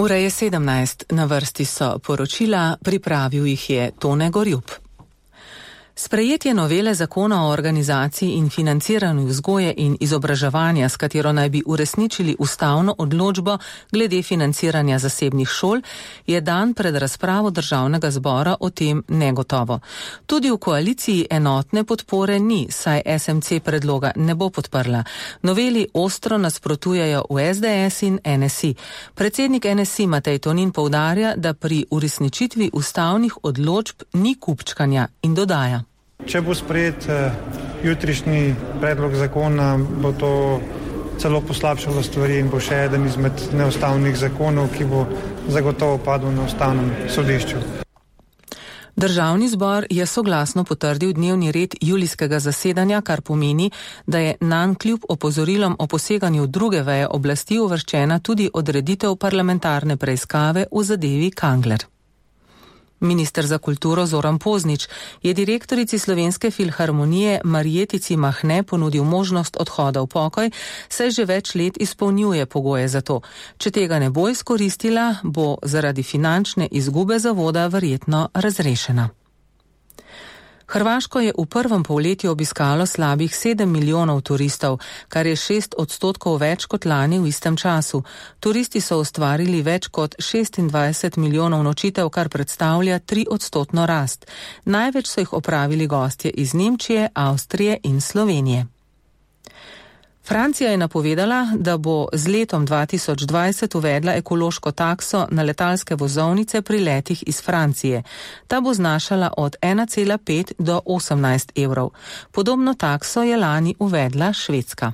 Ura je 17, na vrsti so poročila, pripravil jih je Tone Gorjup. Sprejetje novele zakona o organizaciji in financiranju vzgoje in izobraževanja, s katero naj bi uresničili ustavno odločbo glede financiranja zasebnih šol, je dan pred razpravo Državnega zbora o tem negotovo. Tudi v koaliciji enotne podpore ni, saj SMC predloga ne bo podprla. Noveli ostro nasprotujejo v SDS in NSI. Predsednik NSI Matej Tonin poudarja, da pri uresničitvi ustavnih odločb ni kupčkanja in dodaja. Če bo sprejet jutrišnji predlog zakona, bo to celo poslabšalo stvari in bo še eden izmed neustavnih zakonov, ki bo zagotovo padel na ustavnem sodišču. Državni zbor je soglasno potrdil dnevni red julijskega zasedanja, kar pomeni, da je nanj kljub opozorilom o poseganju druge veje oblasti uvrščena tudi odreditev parlamentarne preiskave v zadevi Kangler. Minister za kulturo Zoran Poznič je direktorici Slovenske filharmonije Marjetici Mahne ponudil možnost odhoda v pokoj, saj že več let izpolnjuje pogoje za to. Če tega ne bo izkoristila, bo zaradi finančne izgube zavoda verjetno razrešena. Hrvaško je v prvem polletju obiskalo slabih 7 milijonov turistov, kar je 6% več kot lani v istem času. Turisti so ustvarili več kot 26 milijonov nočitev, kar predstavlja 3% rast. Največ so jih opravili gostje iz Nemčije, Avstrije in Slovenije. Francija je napovedala, da bo z letom 2020 uvedla ekološko takso na letalske vozovnice pri letih iz Francije. Ta bo znašala od 1,5 do 18 evrov. Podobno takso je lani uvedla Švedska.